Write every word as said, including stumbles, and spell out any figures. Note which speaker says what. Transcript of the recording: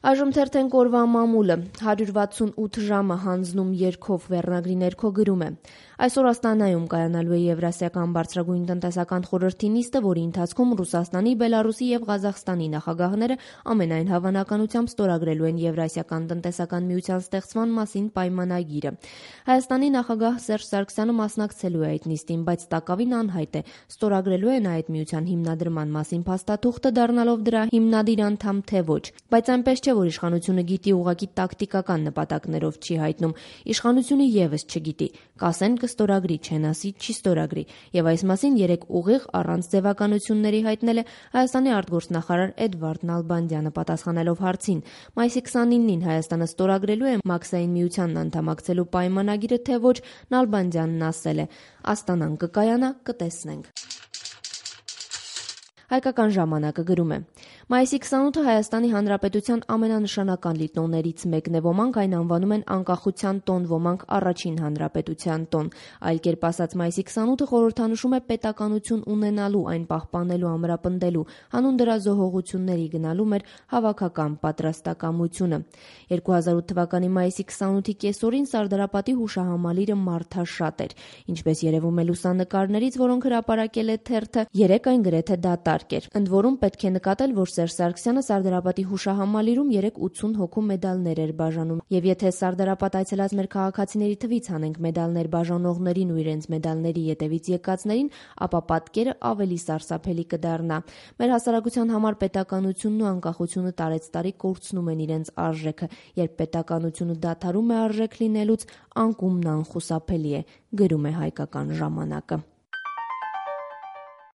Speaker 1: Այժմ թերթենք օրվա մամուլը, հարյուր վաթսունութ ժամը հանձնում երգով վերնագրի ներքո գրում է. Այսօր Աստանայում կայանալու է Եվրասիական բարձրագույն տնտեսական խորհրդի նիստը, որի ընթացքում Ռուսաստանի, Բելարուսի և Ղազախստանի նախագահները ամենայն հավանականությամբ ստորագրելու են Եվրասիական տնտեսական միության ստեղծման մասին պայմանագիրը։ Հայաստանի նախագահ Սերժ Սարգսյանը մասնակցելու է այդ նիստին, բայց տակավին անհայտ է, ստորագրելու են այդ միության հիմնադրման մասին փաստաթուղթը, դառնալով դրա հիմնադիր անդամ, թե ոչ։ Բայց այնպես չէ, որ իշխանությունը գիտի, ուղղակի տակտիկական նպատակներով չի հայտնում։ Իշխանությունը եւս չգիտի, կասեն կստորագրի, չեն ասի չի ստորագրի։ Եվ այս մասին երեկ ուղիղ առանց ձևականությունների հայտնել է Հայաստանի արտգործնախարար Էդվարդ Նալբանդյանը, պատասխանելով հարցին. Մայիսի քսանինին Հայաստանը ստորագրելու է Մաքսային միությանն անդամակցելու պայմանագիրը, թե ոչ, Նալբանդյանն ասել է. Աստանան կկայանա, կտեսնենք։ Հայկական ժամանակը գրում է. Մայիսի քսանութը Հայաստանի Հանրապետության ամենանշանական լիտոններից մեկն է, ոմանք այն անվանում են անկախության տոն, ոմանք առաջին հանրապետության տոն։ Այլ կերպ ասած, մայիսի քսանութը խորհրդանշում է պետականություն ունենալու, այն պահպանելու, ամրապնդելու, հանուն դրա զոհողությունների գնալու մեր հավաքական պատրաստակամությունը։ երկու հազար ութ թվականի մայիսի քսանութի կեսօրին Սարդարապատի հուշահամալիրը մարդաշատ էր։ Ինչպես երևում է լուսանկարներից, որոնք հրապարակել է թերթը, երեկ այն գրեթե դատարկ էր։ Ընդ որում պետք է նկատել, որ Սերժ Սարգսյանը Սարդարապատի հուշահամալիրում երեկ ութսուն հոգու մեդալներ էր բաժանում։ Եվ եթե Սարդարապատ այցելած մեր քաղաքացիների թվից հանենք մեդալներ բաժանողներին ու իրենց մեդալների ետևից եկածներին, ապա պատկերը ավելի սարսափելի կդառնա։ Մեր հասարակության համար պետականությունն ու անկախությունը տարեցտարի կորցնում են իրենց արժեքը։ Երբ պետականությունը դադարում է արժեք լինելուց, անկումն անխուսափելի է, գրում է Հայկական ժամանակը։